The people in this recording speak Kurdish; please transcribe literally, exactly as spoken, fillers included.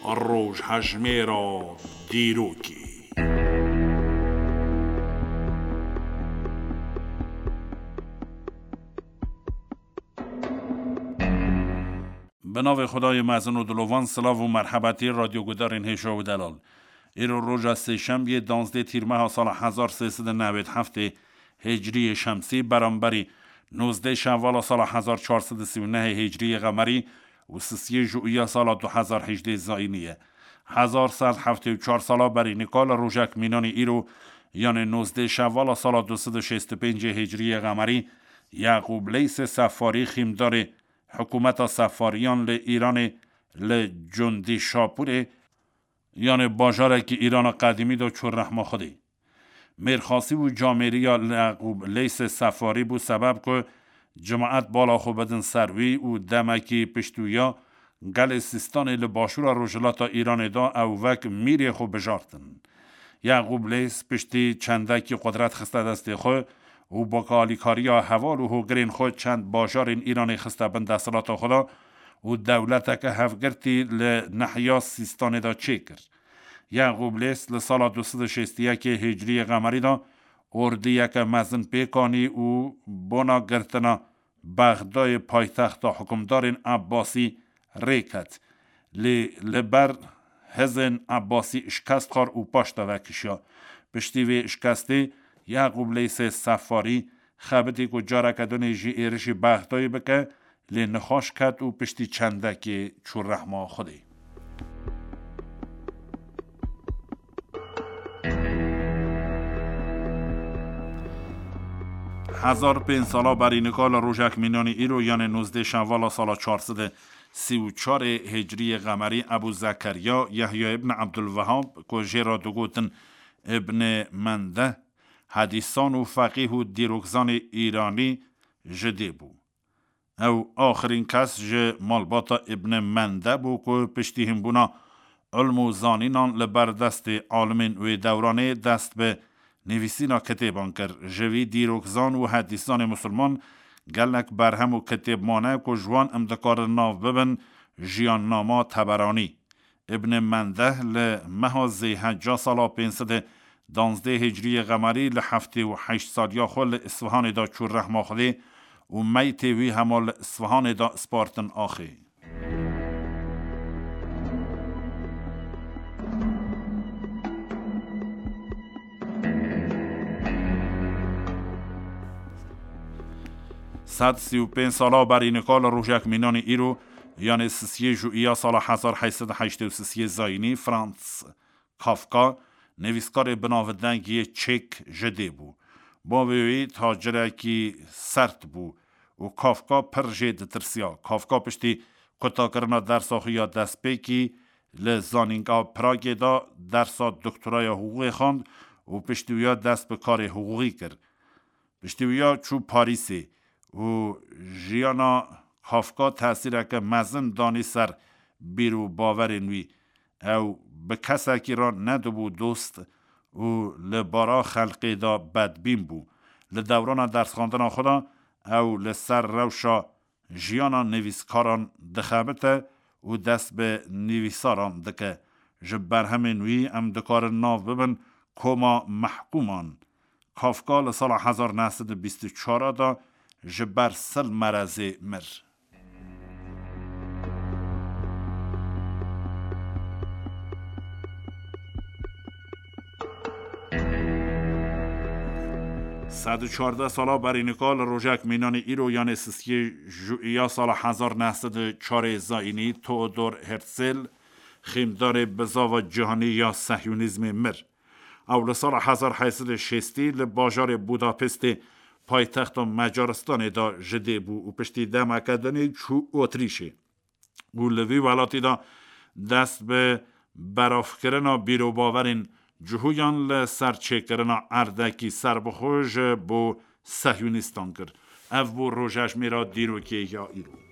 Rojhejmêra dîrokê. Bi navê Xwedayê mezin û dilovan, silav û merhebetî radyogudarên hêja û delal. Îro roja sêşembiyê, danzdeh tîrmeha sala hezar sê sed û newêd heftê hicriyê şemsî, beramberî nozdeh şevala sala hezar çar sed û sî û nehê hicriyê qemerî û sisiyê juiya sala du hezar hejdê zayînî ye. Hezar sed heftê û çar sala berî nika li rojek mînanî îro, yanê nozdeh şevala sala du sed û şêst û pêncê hicriyê qemerî, Yaqûb Leysê Sefarî, xîmdarê hikûmeta Sefariyan li Îranê, li Cundî Şapûrê, yanê bajarekî Îrana qedîmî de çû rehma Xwedê. Mêrxasî û camêriya Yaqûb Leysê Sefarî bû sebeb ku cemaet bala xwe bidin ser wî û demekî pişt wî ya gelê Sîstanê li başûra rojhilata Îranê de ew wek mîrê xwe bijartin. Yaqûb Leys piştî çendekî qudret xiste destê xwe û bi alîkariya heval û hogirên xwe çend bajarên Îranê xiste bin desthilata xwe de û dewleteke hevgirtî li nehiya Sîstanê de çêkir. Yaqûb Leys li sala du sed û şêst û yekê hicriyê qemerî de ordiyeke mezin pêk anî û bona girtina Bexdayê, paytexta hukimdarên Ebbasî, rê ket. Lê li ber hizên Ebbasî şikest xwar û paş de vekişiya. Piştî vê şikestê Yaqûb Leysê Sefarî xebitî ku careke dinê jî êrişî Bexdayê bike, lê nixweş ket û piştî çendekê çû rehma Xwedê. Hezar pênc sala berî nika li rojek mînanî îro, yanê nozdeh şevala sala çar sed û sî û çarê hicriyê qemerî, Ebû Zekeriya Yehya ibn Ebdulwehab, ku jê re digotin Ibn Mendeh, hedîsan û feqîh û dîrokzanê Îranî ji dê bû. Ew axirîn kes ji malbata Ibn Mende bû ku piştî hinbûna ilm û zanînan li ber destê alimên wê dewranê dest bi nivîsîna kitêban kir. Ji vî dîrokzan û hedîszanê misilman gelek berhem û kitêb mane ku ji wan em dikarin nav bibin Jiyannama Teberanî. Ibn Mendeh li meha Zêhecca sala pênc sed û danzdeh hicriyê qemerî li heftê û heşt saliya xwe li Isfahanê de çû rehma Xwedê û meytê wî hema li Isfahanê de spartin axê. Sed sî û pênc sala berî nika li rojek mînanî îro, yanê sisiyê Jûiya sala hezar heyt sed û heştê û sisiyê zayînî, Franz Kafka, nivîskarê binavdeng yê çêk ji dê bû. Bavê wî tacirekî sert bû û Kafka pir jê ditirsiya. Kafka piştî qutakirina dersa xwe ya destpêkî li Zanîngeha Pragê de dersa doktoraya hiqûqê xwend û piştî wî ya dest bi karê hiqûqî kir. Piştî wî ya çû Parîsê û jiyana Kafka tesîreke mezin danî ser bîr û bawerên wî. Ew bi kesekî re nedibû dost û li bara xelkê de bedbîn bû. Li dewrana dersxwendina xwe de ew li ser rewşa jiyana nivîskaran dixebite û dest bi nivîsaran dike. Ji berhemên wî em dikarin nav bibin Koma Mehkûman. Kafka li sala hezar neh sed û bîst û çar de ji ber sil merezê mir. Sed û çardeh sala berî nika li rojek mînanî îro, yanê sisiyê Jûiya sala hezar neh sed û çarê zayînî, Theodor Herzl, xîmdarê bizava cîhanî ya sehyûnîzmê mir. Ew li sala hezar heyt sed û şêstî li bajarê Budapestê, paytexta Macaristanê de ji dê bû û piştî demeke dinê çû Otrîşê û li vî welatî de dest bi beravkirina bîrobawerên cihûyan li ser çêkirina erdekî serbixwe ji bo sehyûnîstan kir. Ev bû rojejmêra dîrokê ya îro.